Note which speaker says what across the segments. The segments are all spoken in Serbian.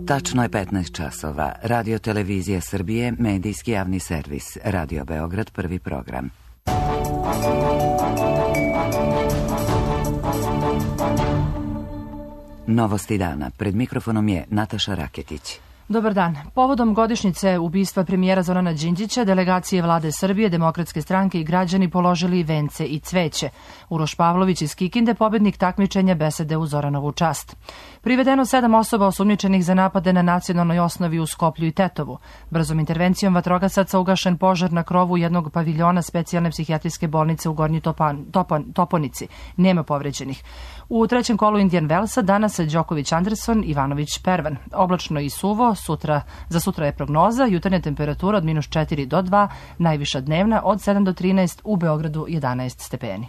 Speaker 1: Tačno je 15 časova. Radio Televizija Srbije, medijski javni servis. Radio Beograd, prvi program. Novosti dana. Pred mikrofonom je Nataša Raketić.
Speaker 2: Dobar dan. Povodom godišnjice ubistva premijera Zorana Đinđića, delegacije vlade Srbije, Demokratske stranke i građani položili vence i cveće. Uroš Pavlović iz Kikinde, pobednik takmičenja, besede u Zoranovu čast. Privedeno 7 osoba osumnjičenih za napade na nacionalnoj osnovi u Skoplju i Tetovu. Brzom intervencijom vatrogasaca ugašen požar na krovu jednog paviljona specijalne psihijatrijske bolnice u Gornjoj Toponici. Nema povređenih. U trećem kolu Indian Wellsa danas Đoković Anderson, Ivanović Pervan. Oblačno i suvo, za sutra je prognoza, jutarnja temperatura od -4 do 2, najviša dnevna od 7 do 13, u Beogradu 11 stepeni.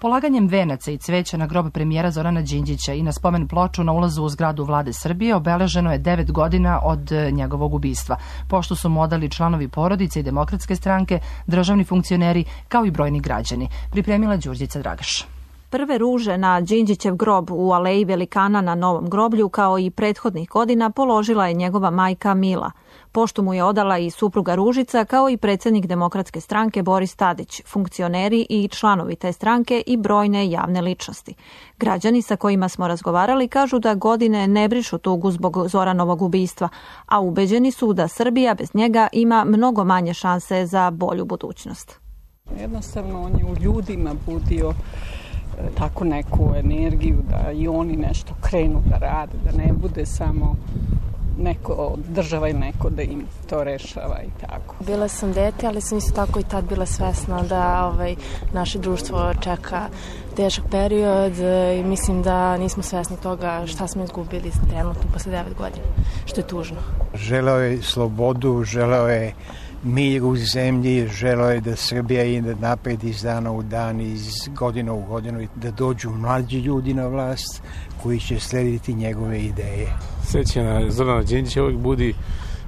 Speaker 2: Polaganjem venaca i cveća na grob premijera Zorana Đinđića i na spomen ploču na ulazu u zgradu vlade Srbije obeleženo je 9 godina od njegovog ubistva, pošto su mu odali članovi porodice i Demokratske stranke, državni funkcioneri, kao i brojni građani. Pripremila Đurđica Dragaš.
Speaker 3: Prve ruže na Đinđićev grob u Aleji Velikana na Novom groblju, kao i prethodnih godina, položila je njegova majka Mila. Poštu mu je odala i supruga Ružica, kao i predsjednik Demokratske stranke Boris Tadić, funkcioneri i članovi te stranke i brojne javne ličnosti. Građani sa kojima smo razgovarali kažu da godine ne brišu tugu zbog Zoranovog ubistva, a ubeđeni su da Srbija bez njega ima mnogo manje šanse za bolju budućnost.
Speaker 4: Jednostavno on je u ljudima budio tako neku energiju da i oni nešto krenu da rade, da ne bude samo neko država i neko da im to rešava i tako.
Speaker 5: Bila sam dete, ali sam isto tako i tad bila svesna da naše društvo čeka težak period i mislim da nismo svesni toga šta smo izgubili trenutno posle 9 godina, što je tužno.
Speaker 6: Želeo je slobodu, želeo je mir u zemlji, želeo je da Srbija ide napred iz dana u dan, iz godine u godinu i da dođu mlađi ljudi na vlast koji će slediti njegove ideje.
Speaker 7: Sećanje Zorana Đinđića uvijek budi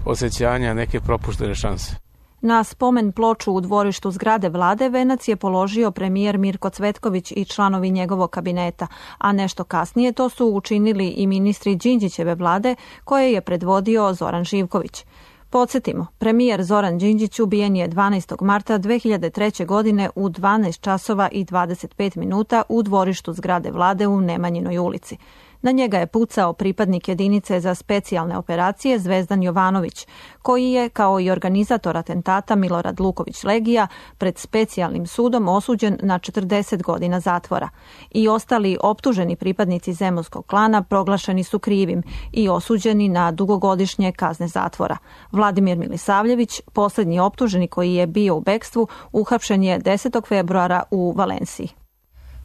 Speaker 7: osjećanja neke propuštene šanse.
Speaker 3: Na spomen ploču u dvorištu zgrade vlade venac je položio premijer Mirko Cvetković i članovi njegovog kabineta, a nešto kasnije to su učinili i ministri Đinđićeve vlade koje je predvodio Zoran Živković. Podsjetimo, premijer Zoran Đinđić ubijen je 12. marta 2003. godine u 12 časova i 25 minuta u dvorištu zgrade vlade u Nemanjinoj ulici. Na njega je pucao pripadnik jedinice za specijalne operacije Zvezdan Jovanović, koji je, kao i organizator atentata Milorad Luković Legija, pred specijalnim sudom osuđen na 40 godina zatvora. I ostali optuženi pripadnici zemunskog klana proglašeni su krivim i osuđeni na dugogodišnje kazne zatvora. Vladimir Milisavljević, posljednji optuženi koji je bio u bekstvu, uhapšen je 10. februara u Valenciji.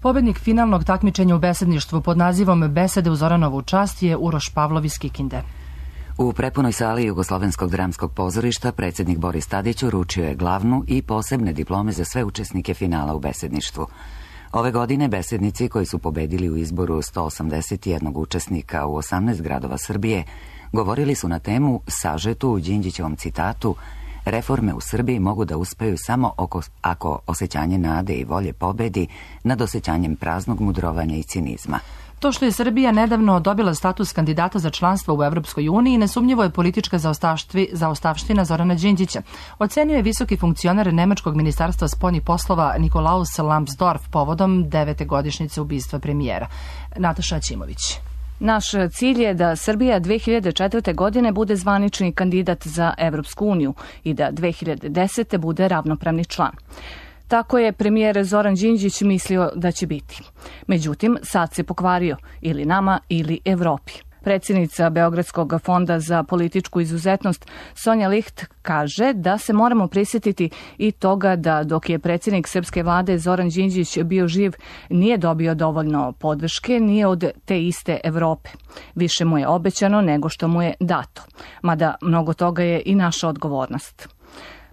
Speaker 2: Pobednik finalnog takmičenja u besedništvu pod nazivom Besede u Zoranovu čast je Uroš Pavlov iz Kikinde.
Speaker 1: U prepunoj sali Jugoslovenskog dramskog pozorišta predsjednik Boris Tadić uručio je glavnu i posebne diplome za sve učesnike finala u besedništvu. Ove godine besednici koji su pobedili u izboru 181 učesnika u 18 gradova Srbije govorili su na temu sažetu u Đinđićevom citatu: reforme u Srbiji mogu da uspeju samo ako osjećanje nade i volje pobedi nad osjećanjem praznog mudrovanja i cinizma.
Speaker 2: To što je Srbija nedavno dobila status kandidata za članstvo u Evropskoj uniji nesumnjivo je politička zaostavština Zorana Đinđića, ocenio je visoki funkcioner Nemačkog ministarstva spoljnih poslova Nikolaus Lambsdorff povodom 9. godišnjice ubistva premijera. Nataša Ćimović.
Speaker 8: Naš cilj je da Srbija 2004. godine bude zvanični kandidat za Evropsku uniju i da 2010. bude ravnopravni član. Tako je premijer Zoran Đinđić mislio da će biti. Međutim, sad se pokvario ili nama ili Evropi. Predsjednica Beogradskog fonda za političku izuzetnost Sonja Licht kaže da se moramo prisjetiti i toga da dok je predsjednik srpske vlade Zoran Đinđić bio živ nije dobio dovoljno podrške ni od te iste Evrope. Više mu je obećano nego što mu je dato, mada mnogo toga je i naša odgovornost.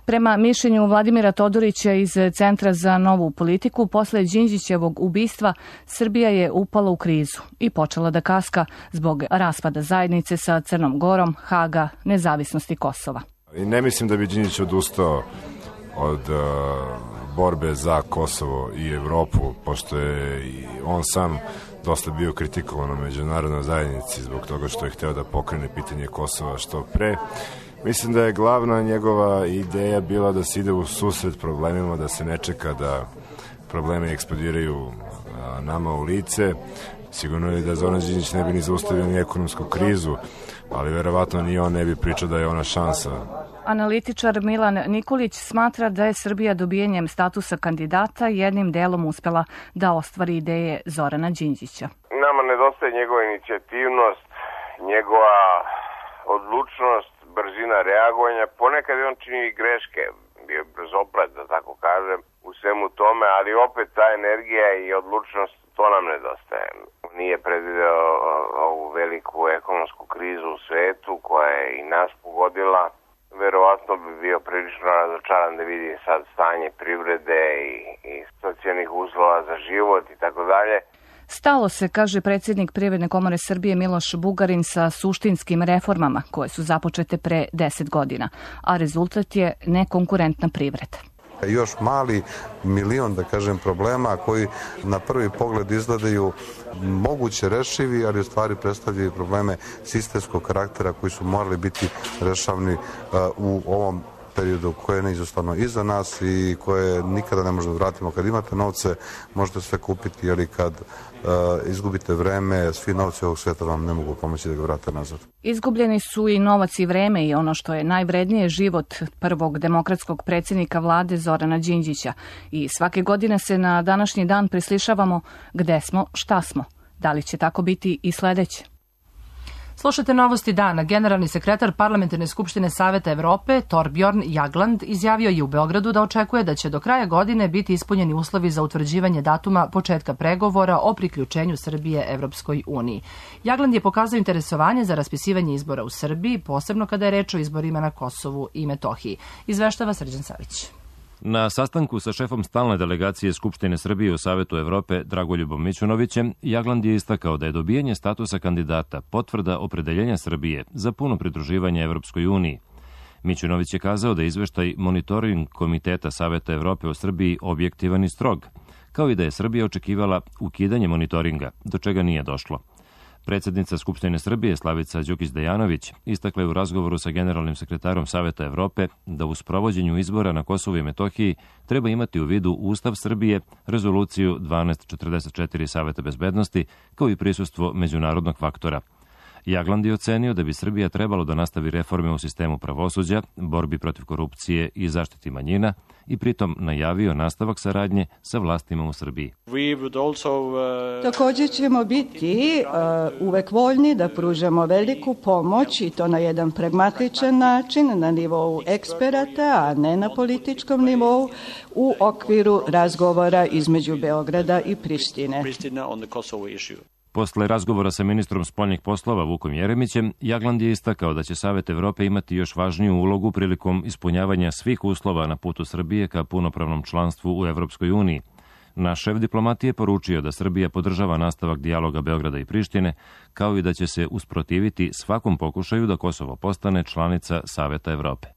Speaker 8: Prema mišljenju Vladimira Todorića iz Centra za novu politiku, posle Đinđićevog ubistva Srbija je upala u krizu i počela da kaska zbog raspada zajednice sa Crnom Gorom, Haga, nezavisnosti Kosova.
Speaker 9: I ne mislim da bi Đinđić odustao od borbe za Kosovo i Evropu, pošto je on sam dosta bio kritikovan u međunarodnoj zajednici zbog toga što je hteo da pokrene pitanje Kosova što pre. Mislim da je glavna njegova ideja bila da se ide u susret problemima, da se ne čeka da problemi eksplodiraju nama u lice. Sigurno je da Zoran Đinđić ne bi ni zaustavio ni ekonomsku krizu, ali verovatno ni on ne bi pričao da je ona šansa.
Speaker 8: Analitičar Milan Nikolić smatra da je Srbija dobijenjem statusa kandidata jednim delom uspela da ostvari ideje Zorana Đinđića.
Speaker 10: Nama nedostaje njegova inicijativnost, njegova odlučnost, brzina reagovanja. Ponekad je on čini i greške, bio brzoplet, da tako kažem, u svemu tome, ali opet ta energija i odlučnost, to nam nedostaje. Nije predvideo ovu veliku ekonomsku krizu u svetu koja je i nas pogodila. Verovatno bi bio prilično razočaran da vidi sad stanje privrede i socijalnih uslova za život i tako dalje.
Speaker 8: Stalo se, kaže predsjednik Privredne komore Srbije Miloš Bugarin, sa suštinskim reformama koje su započete pre 10 godina, a rezultat je nekonkurentna privreda.
Speaker 11: Još mali milion, da kažem, problema koji na prvi pogled izgledaju moguće rešivi, ali u stvari predstavljaju probleme sistemskog karaktera koji su morali biti rešavni u ovom periodu koje je neizostavno iza nas i koje nikada ne možemo da vratimo. Kad imate novce, možete sve kupiti, ali kad izgubite vreme, svi novci ovog sveta vam ne mogu pomoći da ga vrate nazad.
Speaker 8: Izgubljeni su i novac i vreme i ono što je najvrednije, život prvog demokratskog predsjednika vlade Zorana Đinđića. I svake godine se na današnji dan prislišavamo gde smo, šta smo. Da li će tako biti i sledeće?
Speaker 2: Slušajte novosti dana. Generalni sekretar Parlamentarne skupštine Saveta Evrope, Torbjorn Jagland, izjavio je u Beogradu da očekuje da će do kraja godine biti ispunjeni uslovi za utvrđivanje datuma početka pregovora o priključenju Srbije Evropskoj uniji. Jagland je pokazao interesovanje za raspisivanje izbora u Srbiji, posebno kada je reč o izborima na Kosovu i Metohiji. Izveštava Srđan Savić.
Speaker 12: Na sastanku sa šefom stalne delegacije Skupštine Srbije u Savetu Evrope Dragoljubom Mićunovićem, Jagland je istakao da je dobijanje statusa kandidata potvrda opredeljenja Srbije za puno pridruživanje Evropskoj uniji. Mićunović je kazao da je izveštaj monitoring Komiteta Saveta Evrope u Srbiji objektivan i strog, kao i da je Srbija očekivala ukidanje monitoringa, do čega nije došlo. Predsjednica Skupštine Srbije Slavica Đukić-Dejanović istakla je u razgovoru sa generalnim sekretarom Saveta Evrope da u sprovođenju izbora na Kosovu i Metohiji treba imati u vidu Ustav Srbije, rezoluciju 1244 Saveta bezbednosti, kao i prisustvo međunarodnog faktora. Jagland je ocenio da bi Srbija trebalo da nastavi reforme u sistemu pravosuđa, borbi protiv korupcije i zaštiti manjina i pritom najavio nastavak saradnje sa vlastima u Srbiji.
Speaker 13: Također ćemo biti uvek voljni da pružamo veliku pomoć i to na jedan pragmatičan način, na nivou eksperata, a ne na političkom nivou, u okviru razgovora između Beograda i Prištine.
Speaker 12: Posle razgovora sa ministrom spoljnih poslova Vukom Jeremićem, Jagland je istakao da će Savet Evrope imati još važniju ulogu prilikom ispunjavanja svih uslova na putu Srbije ka punopravnom članstvu u Evropskoj uniji. Naš šef diplomatije je poručio da Srbija podržava nastavak dijaloga Beograda i Prištine, kao i da će se usprotiviti svakom pokušaju da Kosovo postane članica Saveta Evrope.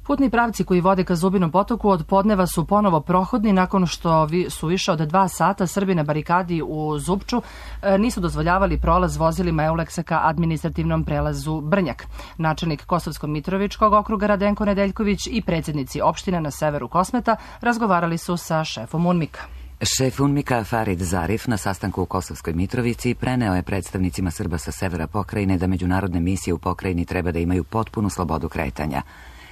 Speaker 2: Putni pravci koji vode ka Zubinom potoku od podneva su ponovo prohodni nakon što su više od 2 sata Srbi na barikadi u Zupču nisu dozvoljavali prolaz vozilima Euleksa ka administrativnom prelazu Brnjak. Načelnik Kosovsko-Mitrovičkog okruga Radenko Nedeljković i predsjednici opština na severu Kosmeta razgovarali su sa šefom UNMIK-a.
Speaker 1: Šef UNMIK-a Farid Zarif na sastanku u Kosovskoj Mitrovici preneo je predstavnicima Srba sa severa pokrajine da međunarodne misije u pokrajini treba da imaju potpunu slobodu kretanja.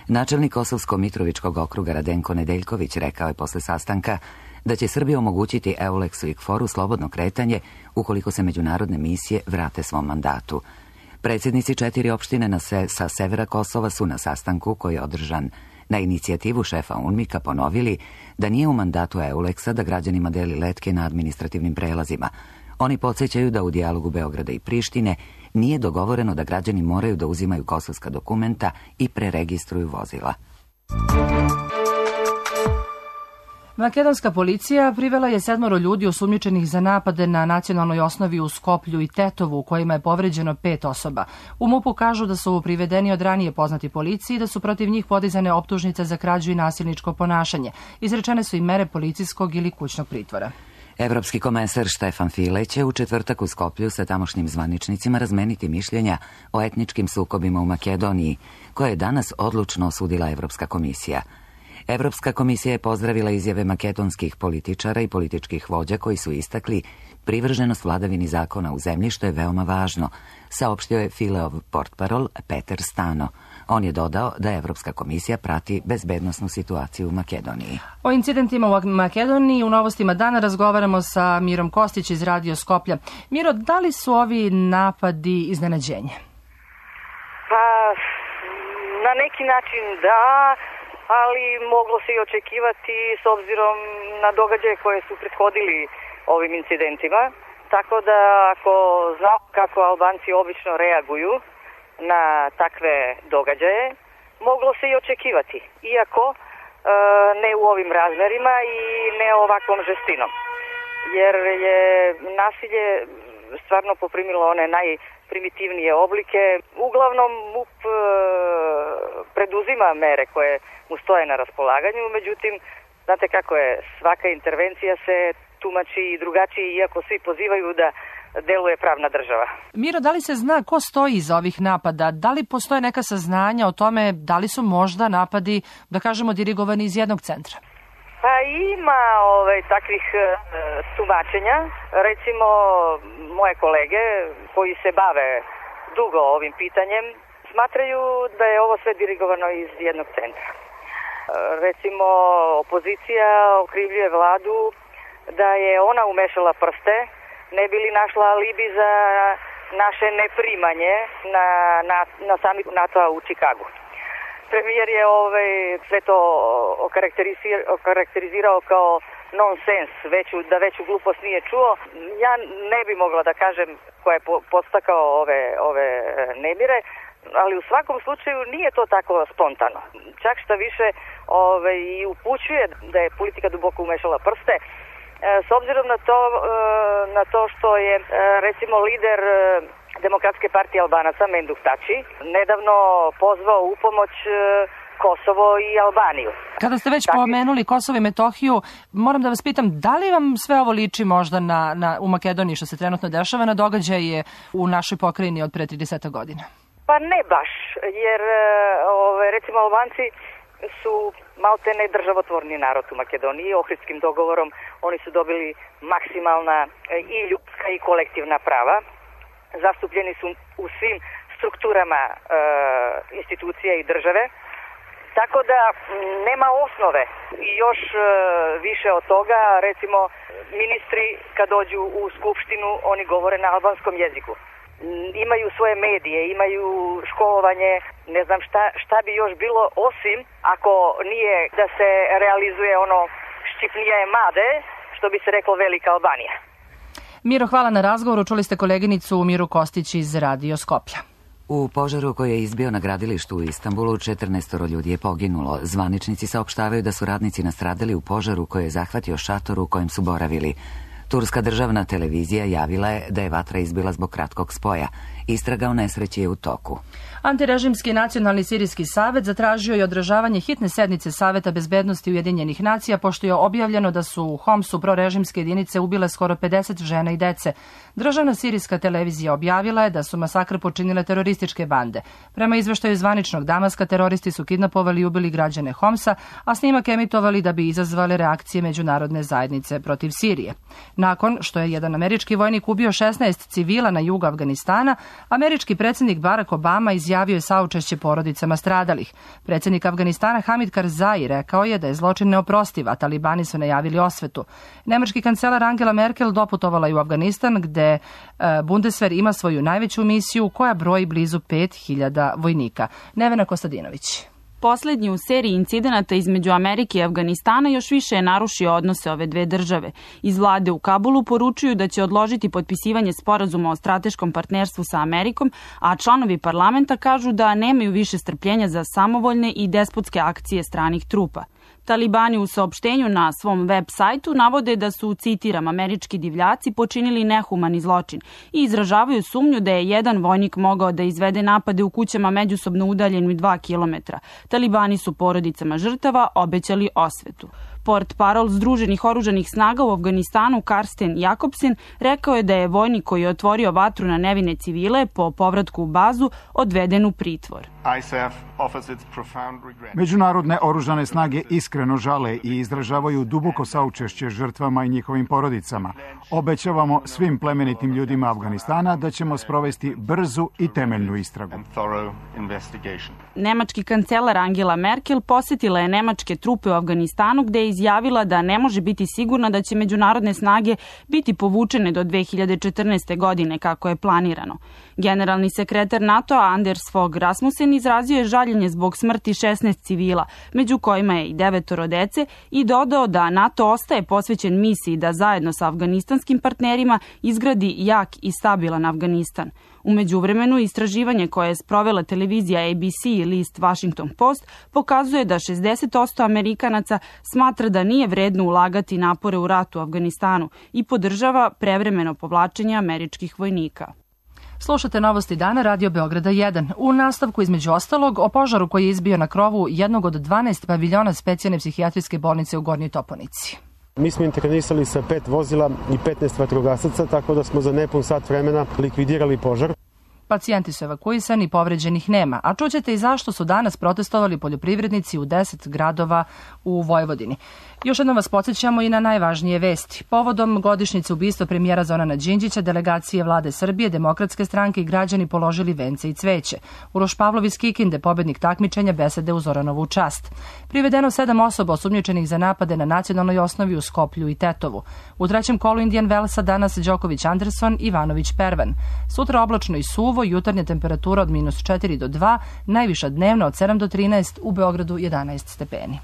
Speaker 1: Načelnik Kosovsko-Mitrovičkog okruga Radenko Nedeljković rekao je posle sastanka da će Srbija omogućiti Euleksu i KFOR-u slobodno kretanje ukoliko se međunarodne misije vrate svom mandatu. Predsjednici 4 opštine sa severa Kosova su na sastanku koji je održan na inicijativu šefa UNMIK-a ponovili da nije u mandatu Euleksa da građanima deli letke na administrativnim prelazima. Oni podsjećaju da u dijalogu Beograda i Prištine nije dogovoreno da građani moraju da uzimaju kosovska dokumenta i preregistruju vozila.
Speaker 2: Makedonska policija privela je 7 ljudi osumnjičenih za napade na nacionalnoj osnovi u Skoplju i Tetovu, u kojima je povređeno 5 osoba. U MUP-u kažu da su privedeni od ranije poznati policiji i da su protiv njih podizane optužnice za krađu i nasilničko ponašanje. Izrečene su i mere policijskog ili kućnog pritvora.
Speaker 1: Evropski komesar Štefan File će u četvrtak u Skoplju sa tamošnjim zvaničnicima razmeniti mišljenja o etničkim sukobima u Makedoniji, koje je danas odlučno osudila Evropska komisija. Evropska komisija je pozdravila izjave makedonskih političara i političkih vođa koji su istakli privrženost vladavini zakona u zemlji, što je veoma važno, saopštio je Fileov portparol Peter Stano. On je dodao da Evropska komisija prati bezbednosnu situaciju u Makedoniji.
Speaker 2: O incidentima u Makedoniji u Novostima dana razgovaramo sa Mirom Kostić iz Radio Skoplja. Miro, da li su ovi napadi iznenađenje?
Speaker 14: Pa, na neki način da, ali moglo se i očekivati s obzirom na događaje koje su prethodili ovim incidentima. Tako da ako znamo kako Albanci obično reaguju na takve događaje, moglo se i očekivati, iako ne u ovim razmerima i ne ovakvom žestinom. Jer je nasilje stvarno poprimilo one najprimitivnije oblike. Uglavnom MUP preduzima mere koje mu stoje na raspolaganju, međutim, znate kako je, svaka intervencija se tumači i drugačije, iako svi pozivaju da deluje pravna država.
Speaker 2: Miro, da li se zna ko stoji iza ovih napada? Da li postoje neka saznanja o tome da li su možda napadi, da kažemo, dirigovani iz jednog centra?
Speaker 14: Pa ima takvih tumačenja. Recimo, moje kolege koji se bave dugo ovim pitanjem smatraju da je ovo sve dirigovano iz jednog centra. Recimo, opozicija okrivljuje vladu da je ona umešala prste, ne bi li našla alibi za naše neprimanje na samit NATO-a u Čikagu. Premijer je sve to okarakterizirao kao nonsens, da veću glupost nije čuo. Ja ne bi mogla da kažem ko je podstakao ove nemire, ali u svakom slučaju nije to tako spontano. Čak šta više i upućuje da je politika duboko umešala prste, s obzirom na to što je recimo lider Demokratske partije Albanaca Menduk Tači nedavno pozvao u pomoć Kosovo i Albaniju.
Speaker 2: Kada ste već pomenuli Kosovo i Metohiju, moram da vas pitam, da li vam sve ovo liči možda u Makedoniji što se trenutno dešava na događaje u našoj pokrajini od pre 30 godina?
Speaker 14: Pa ne baš, jer recimo Albanci su maltene državotvorni narod u Makedoniji. Ohridskim dogovorom oni su dobili maksimalna i ljudska i kolektivna prava. Zastupljeni su u svim strukturama institucija i države. Tako da nema osnove i još više od toga, recimo ministri kad dođu u skupštinu oni govore na albanskom jeziku. Imaju svoje medije, imaju školovanje, ne znam šta bi još bilo osim ako nije da se realizuje ono ščipnije made, što bi se reklo Velika Albanija.
Speaker 2: Miro, hvala na razgovoru. Čuli ste koleginicu Miru Kostić iz Radio Skoplja.
Speaker 1: U požaru koji je izbio na gradilištu u Istanbulu 14 ljudi je poginulo. Zvaničnici saopštavaju da su radnici nastradali u požaru koji je zahvatio šator u kojem su boravili. Turska državna televizija javila je da je vatra izbila zbog kratkog spoja. Istraga o nesreći je u toku.
Speaker 2: Antirežimski nacionalni sirijski savet zatražio je održavanje hitne sednice Saveta bezbednosti Ujedinjenih nacija, pošto je objavljeno da su u Homsu prorežimske jedinice ubile skoro 50 žena i dece. Državna sirijska televizija objavila je da su masakr počinile terorističke bande. Prema izveštaju zvaničnog Damaska, teroristi su kidnapovali i ubili građane Homsa, a snimak emitovali da bi izazvali reakcije međunarodne zajednice protiv Sirije. Nakon što je jedan američki vojnik ubio 16 civila na jugu Afganistana, američki predsjednik Barack Obama izjavio je saučešće porodicama stradalih. Predsjednik Afganistana Hamid Karzai rekao je da je zločin neoprostiv, a talibani su najavili osvetu. Nemački kancelar Angela Merkel doputovala je u Afganistan, gde Bundeswehr ima svoju najveću misiju koja broji blizu 5000 vojnika. Nevena Kostadinović.
Speaker 15: Poslednji u seriji incidenata između Amerike i Afganistana još više je narušio odnose ove dve države. Iz vlade u Kabulu poručuju da će odložiti potpisivanje sporazuma o strateškom partnerstvu sa Amerikom, a članovi parlamenta kažu da nemaju više strpljenja za samovoljne i despotske akcije stranih trupa. Talibani u saopštenju na svom web sajtu navode da su, citiram, američki divljaci počinili nehumani zločin i izražavaju sumnju da je jedan vojnik mogao da izvede napade u kućama međusobno udaljeni 2 kilometra. Talibani su porodicama žrtava obećali osvetu. Portparol Združenih oružanih snaga u Afganistanu Karsten Jakobsen rekao je da je vojnik koji je otvorio vatru na nevine civile po povratku u bazu odveden u pritvor.
Speaker 16: Međunarodne oružane snage iskreno žale i izražavaju duboko saučešće žrtvama i njihovim porodicama. Obećavamo svim plemenitim ljudima Afganistana da ćemo sprovesti brzu i temeljnu istragu.
Speaker 15: Nemački kancelar Angela Merkel posetila je nemačke trupe u Afganistanu gde je izjavila da ne može biti sigurna da će međunarodne snage biti povučene do 2014. godine kako je planirano. Generalni sekretar NATO-a Anders Fogh Rasmussen izrazio je žaljenje zbog smrti 16 civila, među kojima je i 9 dece, i dodao da NATO ostaje posvećen misiji da zajedno sa afganistanskim partnerima izgradi jak i stabilan Afganistan. U međuvremenu, istraživanje koje je sprovela televizija ABC i list Washington Post pokazuje da 60% Amerikanaca smatra da nije vredno ulagati napore u ratu u Afganistanu i podržava prevremeno povlačenje američkih vojnika.
Speaker 2: Slušate Novosti dana, Radio Beograda 1. U nastavku, između ostalog, o požaru koji je izbio na krovu jednog od 12 paviljona specijalne psihijatrijske bolnice u Gornjoj Toponici.
Speaker 17: Mi smo intervenisali sa 5 vozila i 15 vatrogasaca, tako da smo za nepun sat vremena likvidirali požar.
Speaker 2: Pacijenti su evakuisani, povređenih nema, a čućete i zašto su danas protestovali poljoprivrednici u 10 gradova u Vojvodini. Još jednom vas podsjećamo i na najvažnije vesti. Povodom godišnjice ubistva premijera Zorana Đinđića, delegacije vlade Srbije, Demokratske stranke i građani položili vence i cveće. Uroš Pavlov iz Kikinde, pobednik takmičenja, besede u Zoranovu čast. Privedeno 7 osoba osumnjičenih za napade na nacionalnoj osnovi u Skoplju i Tetovu. U trećem kolu Indian Wellsa danas Đoković Anderson, Ivanović Pervan. Sutra oblačno i suvo, jutarnja temperatura od -4 do 2, najviša dnevna od 7 do 13, u Beogradu 11 stepeni.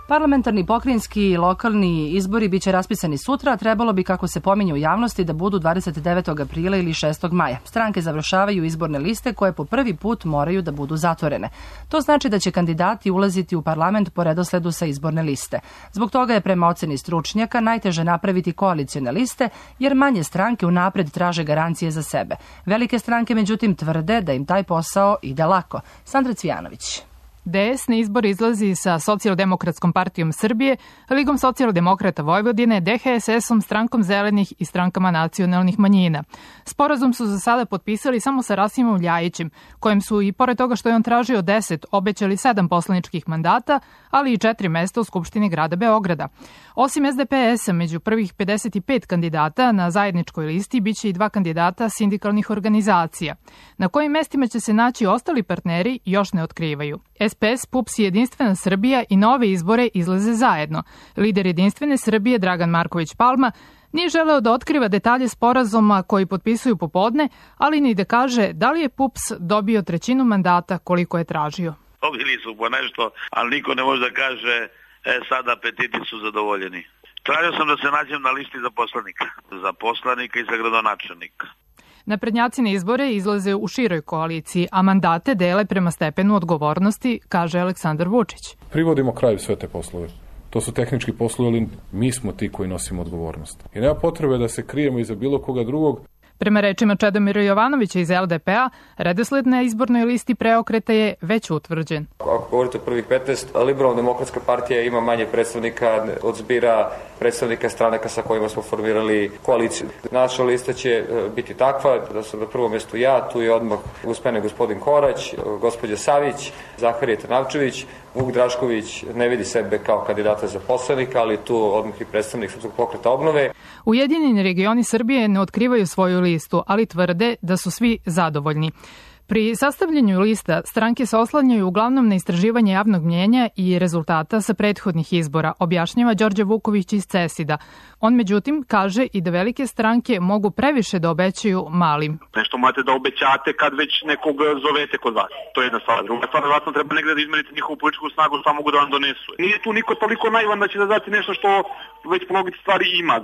Speaker 2: Parlamentarni, pokrajinski i lokalni izbori biće raspisani sutra, a trebalo bi, kako se pominje u javnosti, da budu 29. aprila ili 6. maja. Stranke završavaju izborne liste koje po prvi put moraju da budu zatvorene. To znači da će kandidati ulaziti u parlament po redosledu sa izborne liste. Zbog toga je prema oceni stručnjaka najteže napraviti koalicione liste, jer manje stranke unapred traže garancije za sebe. Velike stranke, međutim, tvrde da im taj posao ide lako. Sandra Cvijanović.
Speaker 18: DS na izbor izlazi sa Socijaldemokratskom partijom Srbije, Ligom socijaldemokrata Vojvodine, DHSS-om, Strankom zelenih i strankama nacionalnih manjina. Sporazum su za sada potpisali samo sa Rasimom Ljajićem, kojem su, i pored toga što je on tražio 10, obećali 7 poslaničkih mandata, ali i 4 mesta u Skupštini grada Beograda. Osim SDPS-a, među prvih 55 kandidata na zajedničkoj listi biće i 2 kandidata sindikalnih organizacija. Na kojim mestima će se naći ostali partneri još ne otkrivaju. SPS, PUPS i Jedinstvena Srbija i na ove izbore izlaze zajedno. Lider Jedinstvene Srbije Dragan Marković Palma nije želeo da otkriva detalje sporazuma koji potpisuju popodne, ali ni da kaže da li je PUPS dobio 1/3 mandata koliko je tražio.
Speaker 19: Dobili su po nešto, ali niko ne može da kaže sada apetiti su zadovoljeni. Tražio sam da se nađem na listi za poslanika i za gradonačelnika.
Speaker 18: Naprednjaci na izbore izlaze u široj koaliciji, a mandate dele prema stepenu odgovornosti, kaže Aleksandar Vučić.
Speaker 20: Privodimo kraju sve te poslove. To su tehnički poslovi, ali mi smo ti koji nosimo odgovornost. I nema potrebe da se krijemo iza bilo koga drugog.
Speaker 18: Prema rečima Čedomira Jovanovića iz LDP-a, redosled na izbornoj listi Preokreta je već utvrđen.
Speaker 21: Ako govorite o prvih 15, Liberalno-demokratska partija ima manje predstavnika od zbira predstavnika stranaka sa kojima smo formirali koaliciju. Naša lista će biti takva da sam na prvom mjestu ja, tu je odmah gospodin Korać, gospođa Savić, Zaharije Trnavčević, Vuk Drašković ne vidi sebe kao kandidata za poslanika, ali tu odmah i predstavnik Srpskog pokreta obnove.
Speaker 18: Ujedinjeni regioni Srbije ne otkrivaju svoju listu, ali tvrde da su svi zadovoljni. Pri sastavljanju lista stranke se oslanjaju uglavnom na istraživanje javnog mnjenja i rezultata sa prethodnih izbora, objašnjava Đorđe Vuković iz CESID-a. On međutim kaže i da velike stranke mogu previše da obećaju malim.
Speaker 19: Nešto morate da obećate kad već nekog zovete kod vas. To je jedna stvar. Druga stvar, vratno treba negde da izmerite njihovu političku snagu, šta mogu da vam donesu. Nije tu niko toliko naivan da će da dati nešto što već po logici stvari ima.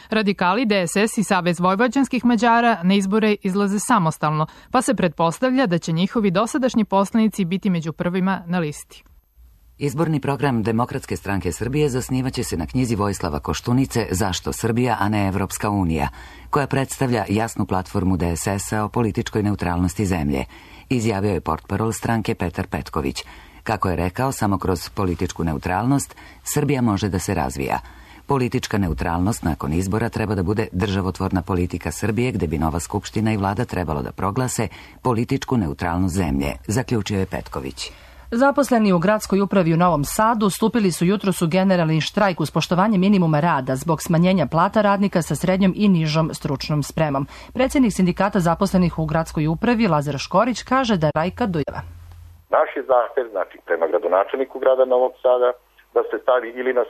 Speaker 18: Radikali, DSS i Savez vojvođanskih Mađara na izbore izlaze samostalno, pa se pretpostavlja da će njihovi dosadašnji poslanici biti među prvima na listi.
Speaker 1: Izborni program Demokratske stranke Srbije zasnivaće se na knjizi Vojislava Koštunice Zašto Srbija, a ne Evropska unija, koja predstavlja jasnu platformu DSS-a o političkoj neutralnosti zemlje, izjavio je portparol stranke Petar Petković. Kako je rekao, samo kroz političku neutralnost Srbija može da se razvija. Politička neutralnost nakon izbora treba da bude državotvorna politika Srbije, gde bi nova skupština i vlada trebalo da proglase političku neutralnost zemlje, zaključio je Petković.
Speaker 2: Zaposleni u gradskoj upravi u Novom Sadu stupili su jutros u generalni štrajk uz poštovanje minimuma rada zbog smanjenja plata radnika sa srednjom i nižom stručnom spremom. Predsjednik sindikata zaposlenih u gradskoj upravi Lazar Škorić kaže da štrajka dojava.
Speaker 4: Naš je zahtev, znači prema gradonačelniku grada Novog Sada, da se stavi ili na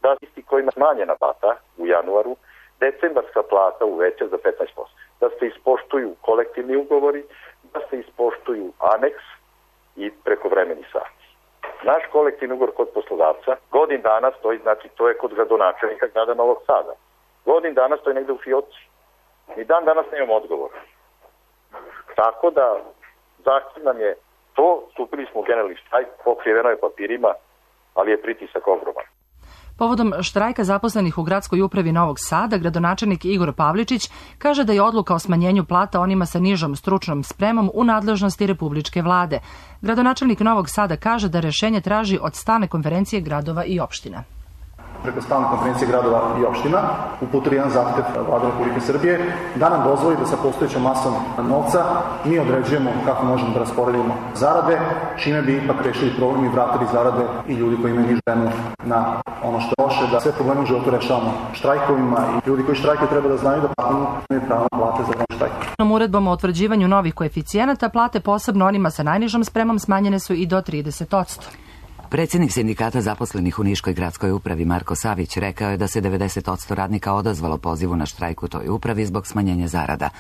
Speaker 4: da isti kojima smanjena plata u januaru, decembarska plata uveća za 15%. Da se ispoštuju kolektivni ugovori, da se ispoštuju aneks i prekovremeni sati. Naš kolektivni ugovor kod poslodavca godin dana stoji, znači to je kod gradonačelnika grada Novog Sada. Godin dana stoji negde u fioci. Ni dan danas nemamo odgovor. Tako da zahtev nam je to, stupili smo u generalni štrajk, pokriveno je papirima, ali je pritisak ogroman.
Speaker 2: Povodom štrajka zaposlenih u gradskoj upravi Novog Sada, gradonačelnik Igor Pavličić kaže da je odluka o smanjenju plata onima sa nižom stručnom spremom u nadležnosti republičke vlade. Gradonačelnik Novog Sada kaže da rešenje traži od stalne konferencije gradova i opština.
Speaker 22: Preko stalne konferencije gradova i opština uputili jedan zahtev Vlade Republike Srbije da nam dozvoli da sa postojećom masom novca mi određujemo kako možemo da rasporedimo zarade, čime bi ipak rešili problem i vratili zarade i ljudi koji imaju nižu cenu na ono što je loše, da sve probleme u životu rešavamo štrajkovima i ljudi koji štrajkuju treba da znaju da imaju pravo na plate za štrajk.
Speaker 2: Uredbom o utvrđivanju novih koeficijenata plate posebno onima sa najnižom spremom smanjene su i do 30%.
Speaker 1: Predsjednik sindikata zaposlenih u Niškoj gradskoj upravi Marko Savić rekao je da se 90% radnika odazvalo pozivu na štrajk u toj upravi zbog smanjenja zarada.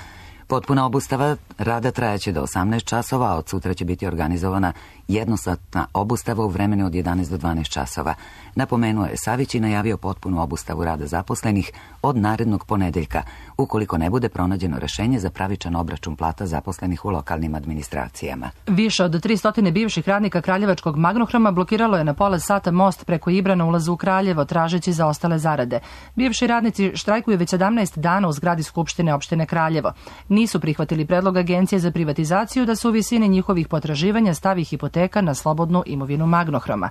Speaker 1: Potpuna obustava rada trajaće do 18 časova, a od sutra će biti organizovana jednosatna obustava u vremenu od 11 do 12 časova. Napomenuo je Savić i najavio potpunu obustavu rada zaposlenih od narednog ponedeljka, ukoliko ne bude pronađeno rešenje za pravičan obračun plata zaposlenih u lokalnim administracijama.
Speaker 2: Više od 300 bivših radnika Kraljevačkog Magnohroma blokiralo je na pola sata most preko Ibra na ulazu u Kraljevo, tražeći za ostale zarade. Bivši radnici štrajkuju već 17 dana u zgradi Skupštine opštine Kraljevo. Nisu prihvatili predlog Agencije za privatizaciju da se u visini njihovih potraživanja stavi hipoteka na slobodnu imovinu Magnohroma.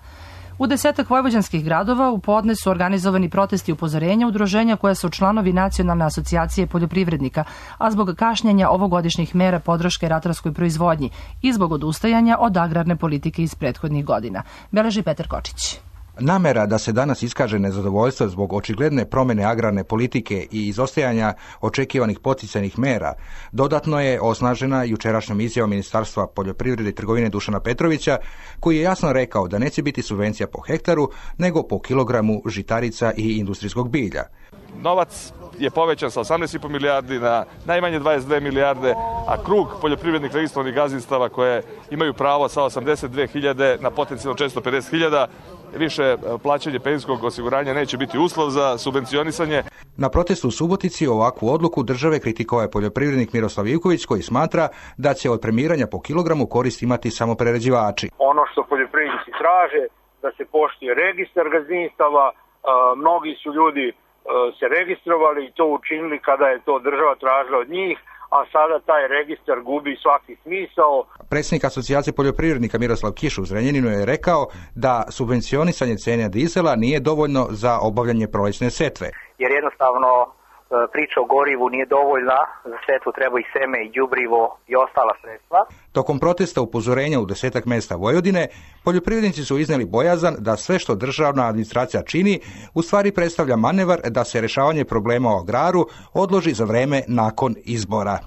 Speaker 2: U 10 vojvođanskih gradova u podne su organizovani protesti upozorenja udruženja koja su članovi Nacionalne asocijacije poljoprivrednika, a zbog kašnjenja ovogodišnjih mera podrške ratarskoj proizvodnji i zbog odustajanja od agrarne politike iz prethodnih godina. Beleži Petar Kočić.
Speaker 23: Namera da se danas iskaže nezadovoljstvo zbog očigledne promjene agrarne politike i izostajanja očekivanih poticajnih mera dodatno je osnažena jučerašnjom izjavom Ministarstva poljoprivrede i trgovine Dušana Petrovića, koji je jasno rekao da neće biti subvencija po hektaru, nego po kilogramu žitarica i industrijskog bilja.
Speaker 24: Novac je povećan sa 18,5 milijardi na najmanje 22 milijarde, a krug poljoprivrednih registrovanih gazdinstava koje imaju pravo sa 82.000 na potencijalno 450.000, više plaćanje penzijskog osiguranja neće biti uslov za subvencionisanje.
Speaker 23: Na protestu u Subotici ovakvu odluku države kritikovao je poljoprivrednik Miroslav Ivković, koji smatra da će od premiranja po kilogramu korist imati samo prerađivači.
Speaker 25: Ono što poljoprivrednici traže, da se poštuje registar gazdinstava, mnogi su ljudi se registrovali i to učinili kada je to država tražila od njih, a sada taj registar gubi svaki smisao.
Speaker 23: Predsjednik asocijacije poljoprivrednika Miroslav Kiš u Zrenjaninu je rekao da subvencionisanje cene dizela nije dovoljno za obavljanje prolećne setve.
Speaker 26: Jer jednostavno priča o gorivu nije dovoljna, za setvu treba i seme i đubrivo i ostala sredstva.
Speaker 23: Tokom protesta upozorenja u 10 mesta Vojvodine, poljoprivrednici su iznijeli bojazan da sve što državna administracija čini u stvari predstavlja manevar da se rješavanje problema u agraru odloži za vreme nakon izbora.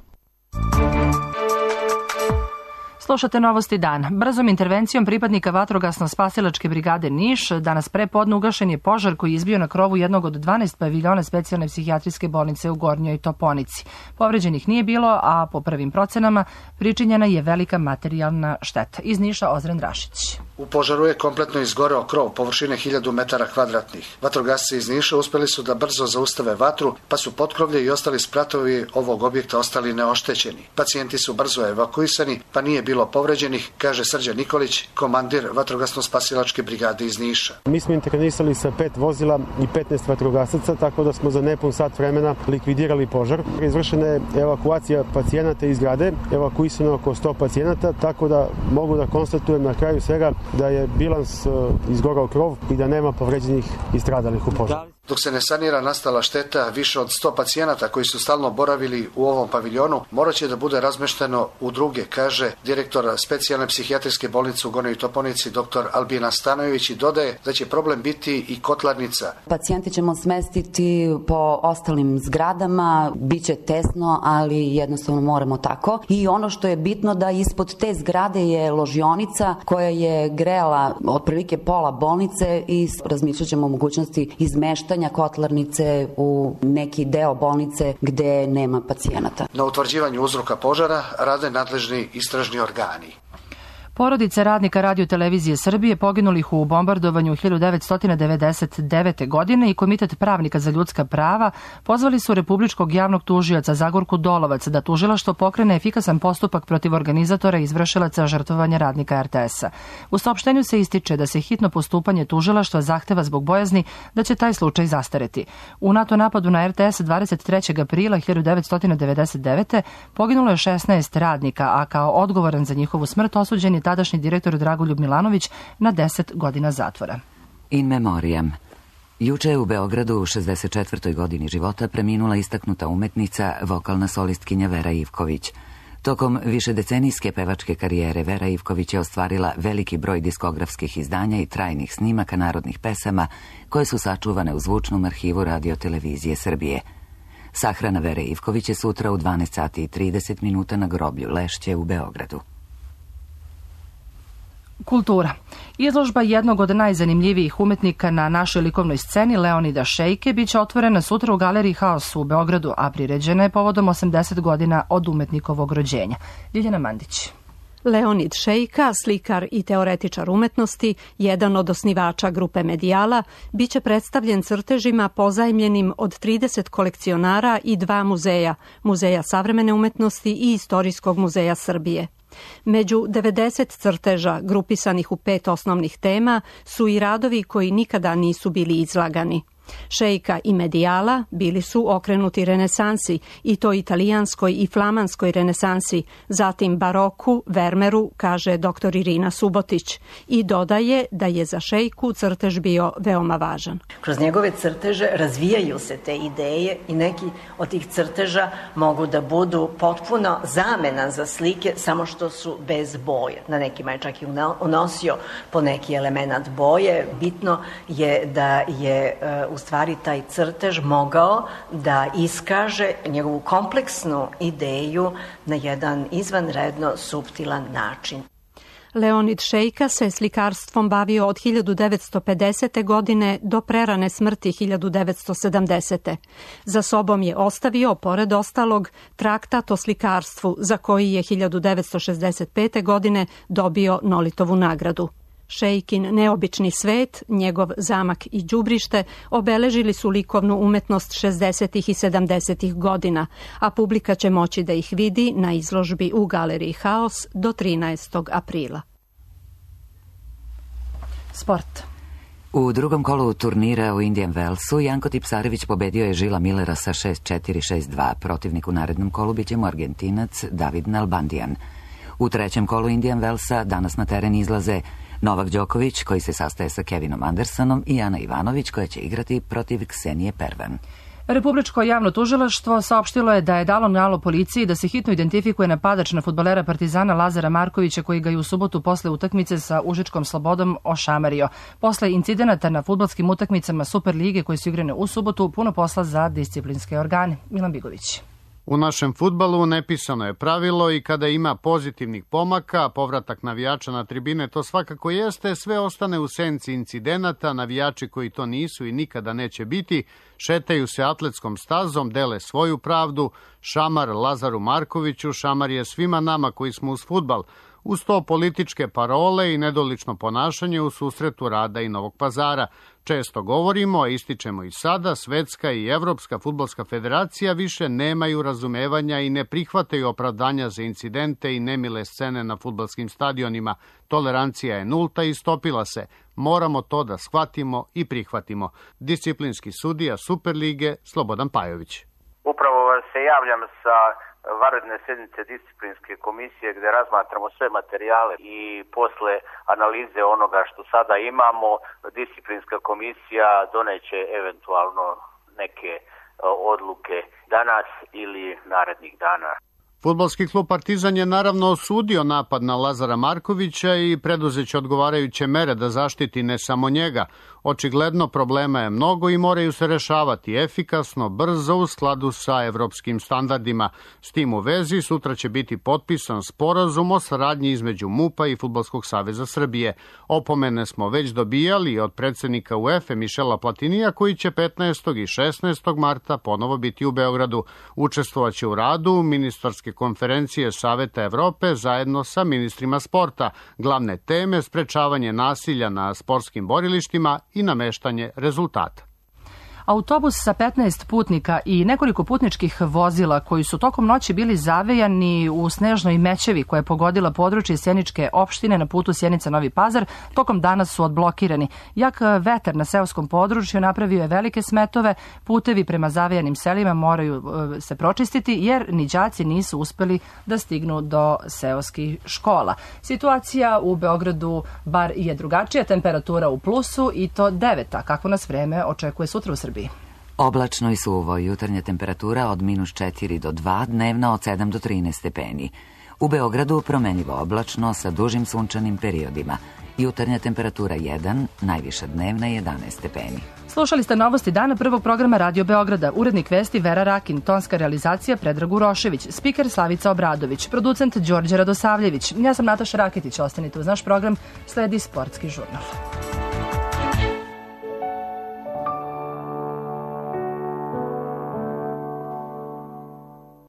Speaker 2: Slušate Novosti dan. Brzom intervencijom pripadnika vatrogasno-spasilačke brigade Niš danas prepodne ugašen je požar koji je izbio na krovu jednog od 12 paviljona specijalne psihijatrijske bolnice u Gornjoj Toponici. Povređenih nije bilo, a po prvim procenama pričinjena je velika materijalna šteta. Iz Niša Ozren Rašić.
Speaker 27: U požaru je kompletno izgoreo krov površine 1000 metara kvadratnih. Vatrogasci iz Niša uspjeli su da brzo zaustave vatru, pa su potkrovlje i ostali spratovi ovog objekta ostali neoštećeni. Pacijenti su brzo evakuisani, pa nije bilo povređenih, kaže Srđan Nikolić, komandir vatrogasno-spasilačke brigade iz Niša.
Speaker 17: Mi smo intervenisali sa 5 vozila i 15 vatrogasaca, tako da smo za nepun sat vremena likvidirali požar. Izvršena je evakuacija pacijenata iz zgrade, evakuisano oko 100 pacijenata, tako da mogu da konstatujem na kraju svega da je bilans izgorao krov i da nema povređenih i stradalih u požaru.
Speaker 27: Dok se ne sanira nastala šteta, više od 100 pacijenata koji su stalno boravili u ovom paviljonu morat će da bude razmešteno u druge, kaže direktor specijalne psihijatrijske bolnice u Gornjoj Toponici dr. Albina Stanojević i dodaje da će problem biti i kotlarnica.
Speaker 3: Pacijente ćemo smestiti po ostalim zgradama, bit će tesno, ali jednostavno moramo tako. I ono što je bitno da ispod te zgrade je ložionica koja je grejala otprilike pola bolnice i razmišljat ćemo o mogućnosti izmeštanja kotlarnice u neki deo bolnice gde nema pacijenata.
Speaker 27: Na utvrđivanju uzroka požara rade nadležni istražni organi.
Speaker 2: Porodice radnika Radio-televizije Srbije poginulih u bombardovanju 1999. godine i Komitet pravnika za ljudska prava pozvali su Republičkog javnog tužioca Zagorku Dolovac da tužilaštvo pokrene efikasan postupak protiv organizatora i izvršilaca žrtvovanja radnika RTS-a. U saopštenju se ističe da se hitno postupanje tužilaštva zahteva zbog bojazni da će taj slučaj zastareti. U NATO napadu na RTS 23. aprila 1999. poginulo je 16 radnika, a kao odgovoran za njihovu smrt osuđen je tadašnji direktor Dragoljub Milanović na 10 godina zatvora.
Speaker 1: In memoriam. Juče je u Beogradu u 64. godini života preminula istaknuta umetnica, vokalna solistkinja Vera Ivković. Tokom višedecenijske pevačke karijere Vera Ivković je ostvarila veliki broj diskografskih izdanja i trajnih snimaka narodnih pesama koje su sačuvane u zvučnom arhivu Radio-televizije Srbije. Sahrana Vere Ivković je sutra u 12 sati i 30 minuta na groblju Lešće u Beogradu.
Speaker 2: Kultura. Izložba jednog od najzanimljivijih umetnika na našoj likovnoj sceni, Leonida Šejke, biće otvorena sutra u Galeriji Haos u Beogradu, a priređena je povodom 80 godina od umetnikovog rođenja. Ljiljana Mandić.
Speaker 5: Leonid Šejka, slikar i teoretičar umetnosti, jedan od osnivača grupe Medijala, biće predstavljen crtežima pozajmljenim od 30 kolekcionara i 2 muzeja, Muzeja savremene umetnosti i Istorijskog muzeja Srbije. Među 90 crteža, grupisanih u 5 osnovnih tema, su i radovi koji nikada nisu bili izlagani. Šejka i Medijala bili su okrenuti renesansi, i to italijanskoj i flamanskoj renesansi, zatim baroku, Vermeru, kaže dr. Irina Subotić, i dodaje da je za Šejku crtež bio veoma važan.
Speaker 6: Kroz njegove crteže razvijaju se te ideje i neki od tih crteža mogu da budu potpuno zamena za slike, samo što su bez boje. Na nekima je čak i unosio po neki element boje. Bitno je da je u stvari taj crtež mogao da iskaže njegovu kompleksnu ideju na jedan izvanredno suptilan način.
Speaker 5: Leonid Šejka se slikarstvom bavio od 1950. godine do prerane smrti 1970. Za sobom je ostavio, pored ostalog, traktat o slikarstvu, za koji je 1965. godine dobio Nolitovu nagradu. Šejkin neobični svet, njegov zamak i đubrište obeležili su likovnu umetnost 60. i 70. godina, a publika će moći da ih vidi na izložbi u Galeriji Haos do 13. aprila.
Speaker 2: Sport.
Speaker 1: U drugom kolu turnira u Indian Wellsu Janko Tipsarević pobedio je Žila Millera sa 6-4, 6-2. Protivnik u narednom kolu biće mu Argentinac David Nalbandian. U trećem kolu Indian Wellsa danas na teren izlaze Novak Đoković, koji se sastaje sa Kevinom Andersonom, i Ana Ivanović, koja će igrati protiv Ksenije Pervan.
Speaker 2: Republičko javno tužilaštvo saopštilo je da je dalo nalog policiji da se hitno identifikuje napadač na fudbalera Partizana Lazara Markovića, koji ga je u subotu posle utakmice sa Užičkom Slobodom ošamario. Posle incidenata na fudbalskim utakmicama Superlige koje su igrane u subotu, puno posla za disciplinske organe. Milan Bigović.
Speaker 7: U našem fudbalu nepisano je pravilo i kada ima pozitivnih pomaka, povratak navijača na tribine to svakako jeste, sve ostane u senci incidenata, navijači koji to nisu i nikada neće biti, šetaju se atletskom stazom, dele svoju pravdu, šamar Lazaru Markoviću, šamar je svima nama koji smo uz fudbal, uz to političke parole i nedolično ponašanje u susretu Rada i Novog Pazara. Često govorimo, a ističemo i sada, Svetska i Evropska fudbalska federacija više nemaju razumevanja i ne prihvataju opravdanja za incidente i nemile scene na fudbalskim stadionima. Tolerancija je nulta i stopila se. Moramo to da shvatimo i prihvatimo. Disciplinski sudija Superlige Slobodan Pajović.
Speaker 9: Upravo se javljam sa
Speaker 8: vanredne sednice disciplinske komisije gde razmatramo sve materijale i posle analize onoga što sada imamo, disciplinska komisija doneće eventualno neke odluke danas ili narednih dana.
Speaker 7: Fudbalski klub Partizan je naravno osudio napad na Lazara Markovića i preduzeće odgovarajuće mere da zaštiti ne samo njega. Očigledno problema je mnogo i moraju se rešavati efikasno, brzo, u skladu sa evropskim standardima. S tim u vezi sutra će biti potpisan sporazum o saradnji između MUP-a i Fudbalskog saveza Srbije. Opomene smo već dobijali od predsednika UEFA Mišela Platinija, koji će 15. i 16. marta ponovo biti u Beogradu. Učestvovaće u radu ministarske konferencije Saveta Evrope zajedno sa ministrima sporta. Glavne teme: sprečavanje nasilja na sportskim borilištima i nameštanje rezultata.
Speaker 2: Autobus sa 15 putnika i nekoliko putničkih vozila koji su tokom noći bili zavejani u snežnoj mećevi koja je pogodila područje Sjeničke opštine na putu Sjenica-Novi Pazar, tokom dana su odblokirani. Jak vetar na seoskom području napravio je velike smetove, putevi prema zavejanim selima moraju se pročistiti jer ni đaci nisu uspeli da stignu do seoskih škola. Situacija u Beogradu bar je drugačija, temperatura u plusu i to 9, a kako nas vreme očekuje sutra u Srbiji.
Speaker 1: Oblačno i suvo, jutarnja temperatura od -4 do 2, dnevna od 7 do 13 stepeni. U Beogradu promenljivo oblačno sa dužim sunčanim periodima. Jutarnja temperatura 1, najviša dnevna 11 stepeni.
Speaker 2: Slušali ste novosti dana prvog programa Radio Beograda. Urednik vesti Vera Rakin, tonska realizacija Predrag Urošević, spiker Slavica Obradović, producent Đorđe Radosavljević. Ja sam Nataša Raketić, ostanite uz naš program, sledi Sportski žurnal.